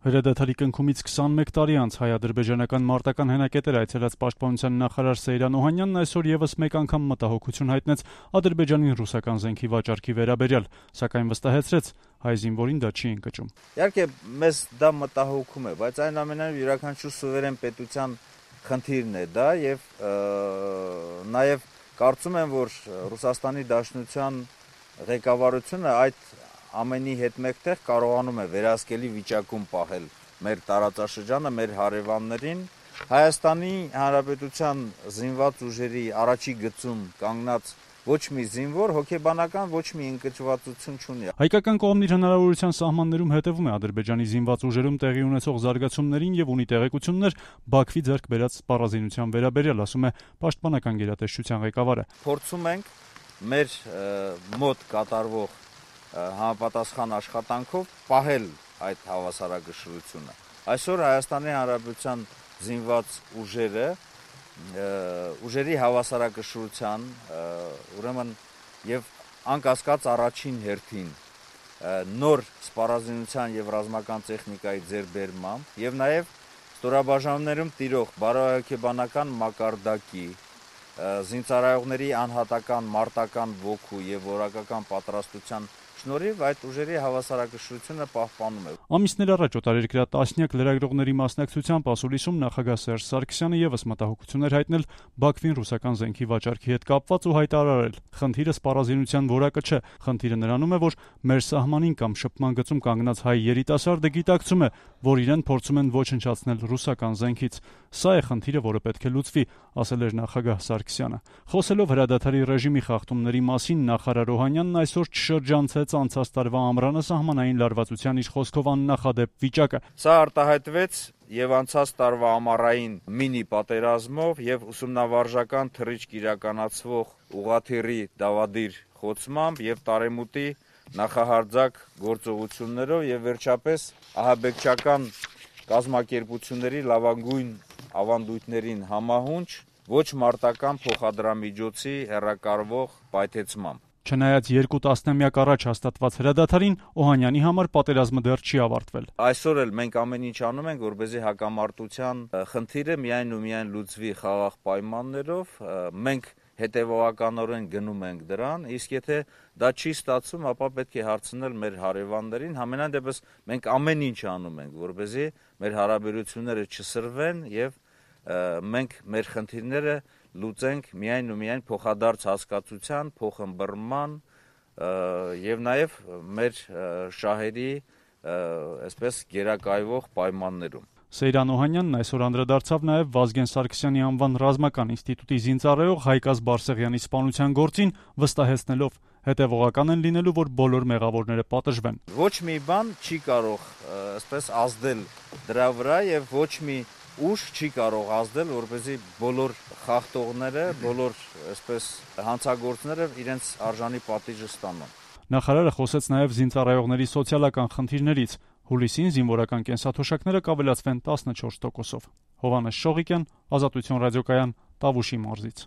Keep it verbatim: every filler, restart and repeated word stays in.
Հրադադարի կնքումից քսանմեկ տարի անց հայ-ադրբեջանական մարտական հենակետեր այցելած պաշտպանության նախարար Սեյրան Օհանյանն այսօր եւս մեկ անգամ մտահոգություն հայտնեց Ադրբեջանին ռուսական զենքի վաճառքի վերաբերյալ, սակայն վստահեցրեց, հայ զինվորին դա չի ընկճում։ Իհարկե մեզ դա մտահոգում է, բայց այնուամենայնիվ յուրաքանչյուր սուվերեն պետության խնդիրն է դա եւ նաեւ կարծում եմ, որ Ռուսաստանի Դաշնության ղեկավարությունը այդ ամենի հետ մեկտեղ կարողանում է վերահսկելի վիճակում պահել մեր տարածաշրջանը, մեր հարևաններին, Հայաստանի Հանրապետության զինված ուժերի առաջի գծում կանգնած ոչ մի զինվոր հոգեբանական ոչ մի ընկճվածություն չունի։ Հայկական կողմն իր հնարավորության սահմաններում հետևում է Ադրբեջանի զինված ուժերում տեղի ունեցող զարգացումներին եւ ունի տեղեկություններ Բաքվի ձեռք բերած սպառազինության վերաբերյալ, ասում է Պաշտպանական գերատեսչության ղեկավարը։ Փորձում ենք մեր մոտ կատարվող համապատասխան աշխատանքով պահել այդ հավասարակշռությունը։ Այսօր Հայաստանի Հանրապետության զինված ուժերը ուժերի հավասարակշռության, ուրեմն եւ անկասկած առաջին հերթին նոր սպառազինության եւ ռազմական տեխնիկայի ձեռբերմամբ եւ նաեւ ստորաբաժանումներում տիրող բարոյաքեբանական մակարդակի զինծառայողների անհատական մարտական ոգու եւ որակական պատրաստության շնորհիվ այդ ուժերի հավասարակշռությունը պահպանում է։ Ամիսներ առաջ օտարերկրյա տասնյակ լրագրողների մասնակցությամբ ասուլիսում նախագահ Սերժ Սարգսյանը եւս մտահոգություններ հայտնել Բաքվին ռուսական զենքի վաճառքի հետ կապված ու հայտարարել. խնդիրը սպառազինության որակը չէ, խնդիրը նրանում է, որ մեր սահմանին կամ շփման գծում կանգնած հայ երիտասարդը գիտակցում է, որ իրեն փորձում են ոչնչացնել ռուսական զենքից։ Սա է խնդիրը, որը պետք է լուծվի, ասել էր նախագահ Սարգսյանը։ Խոսելով հրադադարի ռեժիմի խախտումների մասին, նախարար Օհանյանն այսօր չշրջանցեց անցած տարվա ամռանը սահմանային լարվածության իր խոսքով աննախադեպ վիճակը։ Սա արտահայտվեց եւ անցած տարվա ամառային մինի պատերազմով եւ ուսումնավարժական թռիչք իրականացվող ուղղաթիռի դավադիր խոցմամբ եւ տարեմուտի նախահարձակ գործողություններով եւ վերջապես ահաբեկչական կազմակերպությունների լավագույն ավանդույթներին համահունչ ոչ մարտական փոխադրամիջոցի հեռակառվող պայթեցմամբ։ Չնայած երկու տասնամյակ առաջ հաստատված հրադադարին, Օհանյանի համար պատերազմը դեռ չի ավարտվել։ Այսօր էլ մենք ամեն ինչ անում ենք, որպեսզի հակամարտության խնդիրը միայն ու միայն լուծվի խաղաղ պայմաններով, մենք հետևողականորեն գնում ենք դրան, իսկ եթե դա չի ստացվում, ապա պետք է հարցնել մեր հարևաններին, համենայն դեպս մենք ամեն ինչ անում ենք, որպեսզի մեր հարաբերությունները չսրվեն եւ մենք մեր խնդիրները լուծենք միայն ու միայն փոխադարձ հասկացության, փոխըմբռնման եւ նաեւ մեր շահերի այսպես գերակայվող պայմաններում։ Սեյրան Օհանյանն այսօր անդրադարձավ նաեւ Վազգեն Սարգսյանի անվան ռազմական ինստիտուտի զինծառայող Հայկազ Բարսեղյանի սպանության գործին, վստահեցնելով հետևողական են լինելու, որ բոլոր մեղավորները պատժվեն։ Ոչ մի բան չի կարող այսպես ազդել դրա վրա եւ ոչ մի ուժ չի կարող ազդել, որպեսզի բոլոր խախտողները, բոլոր այսպես հանցագործները իրենց արժանի պատիժը ստանան։ Նախարարը խոսեց նաեւ զինծառայողների սոցիալական խնդիրներից։ Հուլիսին զինվորական կենսաթոշակները կավելացվեն տասնչորս տոկոսով։ Հովհաննես Շողիկյան, Ազատություն ռադիոկայան, Տավուշի մարզից։